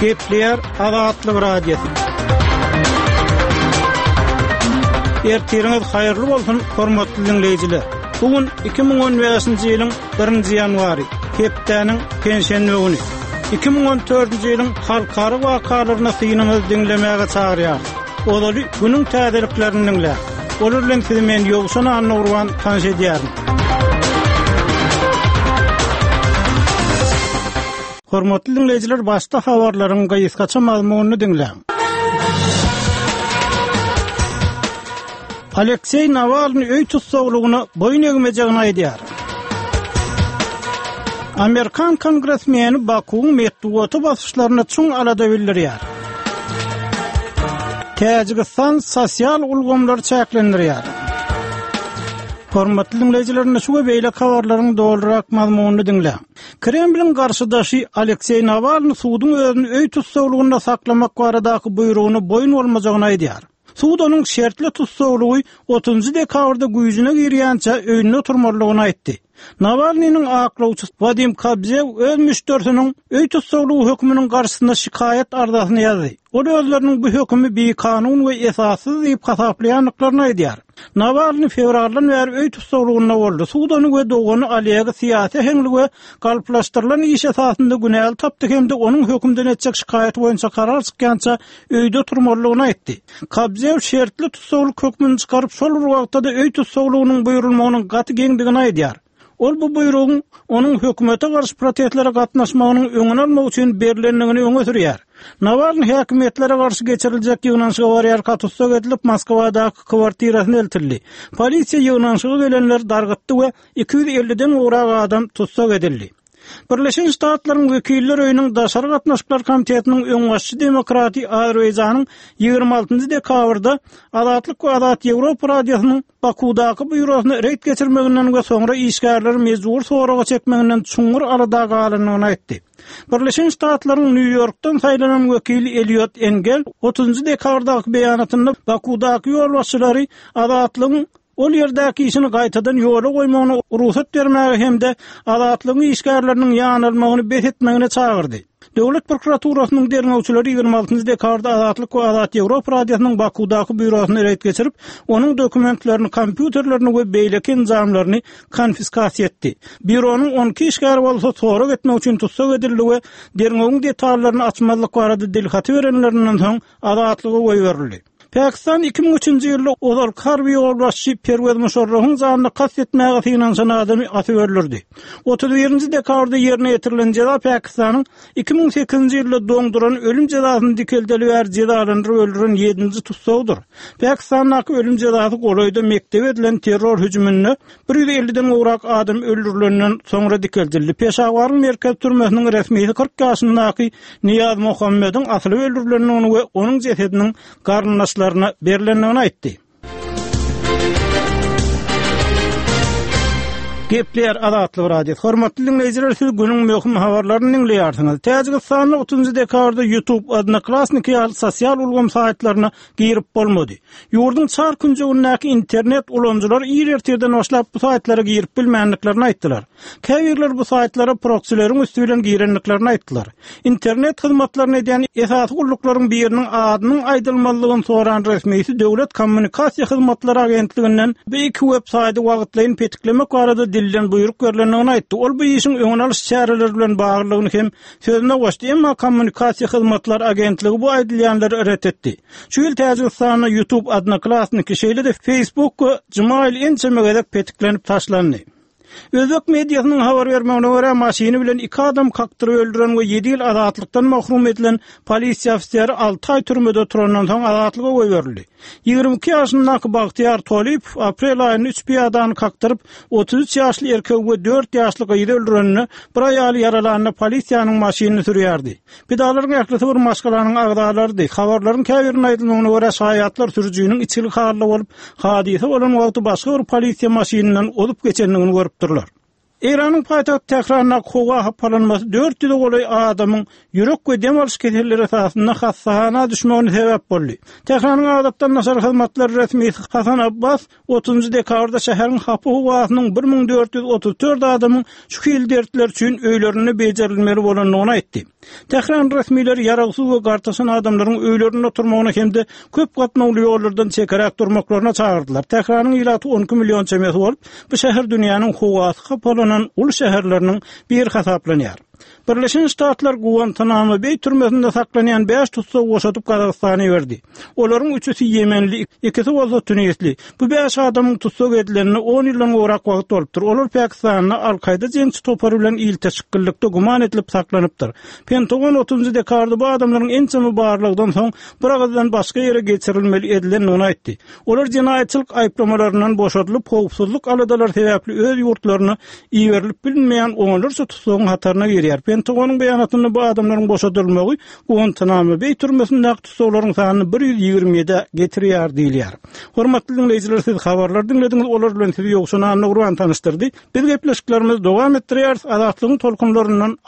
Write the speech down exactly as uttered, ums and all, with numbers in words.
Gepleýär Azatlyk Radiosy. Ertiriňiz haýyrly bolsun, hormatly dinleýjiler. Bu gün iki müň on bäşinji ýylyň birinji ýanwary, hepdäniň penşenbe güni. Iki müň on dördünji ýylyň halkara wakalaryna synyňyzy diňlemäge çagyrýarys. Ozaly günüň täzeliklerini diňläň. Olar bilen sizi men Ýowşan Annagurban tanyş edýärin. Hormatly dinleýjiler, başda habarlaryň gysgaça mazmunyny diňläň. Alekseý Nawalny öý tussaglygyna boýun egmejegini aýdýar. Amerikan kongresmeni Bakuwyň metbugata basyşlaryna çuň alada bildirýär. Täjigistan sosial ulgamlary çäklendirýär. Hormatly dinleýjiler, şu we beýleki habarlaryň dolurak mazmunyny diňläň. Kremliň garşydaşy Alekseý Nawalny suduň özüni öý tussaglygynda saklamak baradaky buýrugyna boýun bolmajagyny aýdýar. Sud onuň şertli tussaglygy otuzynjy dekabrda güýjüne girýänçä öýünde oturmalydygyny aýtdy. Nawalnynyň aklawçysy Wadim Kobzew öz müşderisiniň öý tussaglygy hökmüniň garşysynda şikaýat arzasyny ýazdy. Ol özleriniň bu hökümi bikanun we esassyz diýip hasaplaýandyklaryny aýdýar. Nawalny fewraldan bäri öý tussaglygynda boldy. Sud ony we dogany Olegi syýasy heňli we galplaşdyrylan iş esasynda günäli tapdy hem-de onuň hökümden etjek şikaýaty boýunça karar çykýança öýde oturmalydygyny aýtdy. Kobzew şertli tussaglyk hökmüni çykaryp, şol bir wagtda-da öý tussaglygynyň buýrulmagynyň gaty geňdigini aýdýar. Ol bu buýrugyň onuň hökümete garşy protestlere gatnaşmagynyň öňüni almak üçin berilendigini öňe sürýär. Nawalny häkimiýetlere garşy geçiriljek ýygnanyşyga barýarka tussag edilip, Moskwadaky kwartirasyna eltildi. Polisiýa ýygnanyşyga gelenleri dargytdy we iki ýüz elliden gowrak adam tussag edildi. Birleşen Ştatlaryň Wekiller öýüniň Daşary gatnaşyklar komitetiniň öňbaşçy demokraty Azerbaýjanyň ýigrimi altynjy dekabrda Azatlyk we Azat Ýewropa radiosynyň Bakudaky býurosyna reýd geçirmeginden we soňra işgärleri mejbur soraga çekmeginden çuňňur alada galandygyny aýtdy. Birleşen Ştatlaryň Nýu-Ýorkdan saýlanan wekili Eliot Engel otuzynjy dekabrdaky beýanatynda Bakudaky ýolbaşçylary Azatlygyň ol ýerdäki işini gaýtadan ýola goýmagyna rugsat bermäge hem-de Azatlygyň işgärleriniň ýanalmagyny bes etmegine çagyrdy. Döwlet prokuraturasynyň derňewçileri ýigrimi altynjy dekabrda Azatlyk we Azat Ýewropa radiosynyň Bakudaky býurosyna reýd geçirip, onuň dokumentlerini, kompýuterlerini we beýleki enjamlaryny konfiskasiýa etdi. Býuronyň on iki işgäri bolsa sorag etmek üçin tussag edildi we derňewiň detallaryny açmazlyk barada dilhaty berenlerinden soň Azatlyga goýberildi. Pakistan iki müň üçünji ýylda ozalky harby ýolbaşçy Perwez Muşarrafyň janyna kast etmäge synanyşan adamy atyp öldürdi. Otuz birinji dekabrda ýerine ýetirilen jeza Pakistanyň iki müň sekizinji ýylda doňduran ölüm jezasyny dikeldeli bäri jezalandyryp öldüren ýedinji tussagdyr. Pakistandaky ölüm jezasy golaýda mekdebe edilen terror hüjüminde bir ýüz elliden gowrak adam öldürilenden soňra dikeldildi. Peşawaryň merkez türmesiniň resmisi kyrk ýaşyndaky Niýaz Muhammediň asylyp öldürilendigini we onuň jesediniň garyndaşlaryna berilendigini aýtdy. Gepleýär Azatlyk Radiosy. Hormatly dinleýjiler, siz günüň möhüm habarlaryny diňleýärsiňiz. Täjigistanda otuzynjy dekabrda YouTube, Odnoklassniki ýaly sosial ulgam saýtlaryna girip bolmady. Ýurduň çar künjegindäki internet ulanyjylary ir ertirden başlap bu saýtlara girip bilmändiklerini aýtdylar. Käbirler bu saýtlara proksileriň üsti bilen girendiklerini aýtdylar. Internet hyzmatlaryny edýän esasy gulluklaryň biriniň adynyň aýdylmazlygyny soran resmisi Döwlet kommunikasiýa hyzmatlary agentliginden bu iki web saýty wagtlaýyn petiklemek barada dilden buýruk berlendigini aýtdy. Ol bu işiň öňüni alyş çäreleri bilen baglylygyny hem sözüne goşdy. Emma kommunikasiýa hyzmatlary agentligi bu aýdylýanlary ret etdi. Şu ýyl Täjigistanda YouTube, Odnoklassniki, şeýle-de Facebook we Gmail ençeme gezek petiklenip taşlandy. Özbek mediasynyň habar bermegine görä, maşyny bilen iki adam kakdyryp öldüren we ýedi ýyl azatlykdan mahrum edilen polisiýa ofiseri alty aý türmede oturandan soň azatlyga goýberildi. Ýigrimi iki ýaşyndaky Bagtyýar Tolipow aprel aýynda üç piýadany kakdyryp, otuz üç ýaşly erkegi we dört ýaşly gyzy öldüreninde bir aýaly ýaralanda polisiýanyň maşynyny sürýärdi. Pidalaryň ählisi bir maşgalanyň agzalarydy. Habarlaryň käbiriniň aýdylmagyna görä, şaýatlar sürüjiniň içgili halda bolup, hadysa bolan wagty başga bir polisiýa maşynyndan ozup geçendigini görüpdirler. Eýranyň paýtagty Tährandaky howa hapalanmasy dört ýüze golaý adamyň ýürek we dem alyş keselleri esasynda hassahana düşmegine sebäp boldy. Tähranyň adatdan daşary hyzmatlar resmisi Hasan Abbas otuzynjy dekabrda şäheriň hapa howasynyň bir müň dört ýüz otuz dört adamyň şu hili dertler üçin öýlerinde bejerilmeli bolandygyny aýtdy. Tähran resmileri ýaragsyz we gartaşan adamlaryň öýlerinde oturmagyna hem-de köp gatnawly ýollardan çekeräk durmaklaryna çagyrdylar. Tähranyň ilaty on iki million çemesi bolup, bu şäher dünýäniň howasy hapalanan uly şäherleriniň biri hasaplanýar. Birleşen Ştatlar Guantanamo Beý türmesinde saklanýan bäş tussagy boşadyp Gazagystana iberdi. Olaryň üçüsi ýemenli, ikisi bolsa tunisli. Bu bäş adamyň tussag edilenine on ýyldan gowrak wagt bolupdyr. Olar Pakistanda Al-Kaýda jeňçi topary bilen ilteşiklilikde güman edilip saklanypdyr. Pentagon otuzynjy dekabrda bu adamlaryň ençeme barlagdan soň bir agyzdan başga ýere geçirilmeli edilendigini aýtdy. Olar jenaýatçylyk aýyplamalaryndan boşadylyp, howpsuzlyk aladalary sebäpli öz ýurtlaryna iberilip bilinmeýän onlarça tussagyň hataryna girýär. Pentagonyň beýanatynda bu adamlaryň boşadylmagy Guantanamo Beý türmesindäki tussaglaryň sanyny bir ýüz ýigrimi ýedä getirýär diýilýär. Hormatly diňleýjiler, siz habarlary diňlediňiz, olar bilen sizi Ýowşan Annagurban tanyşdyrdy. Biz gepleşiklerimizi dowam etdirýäris. Azatlygyň tolkunlaryndan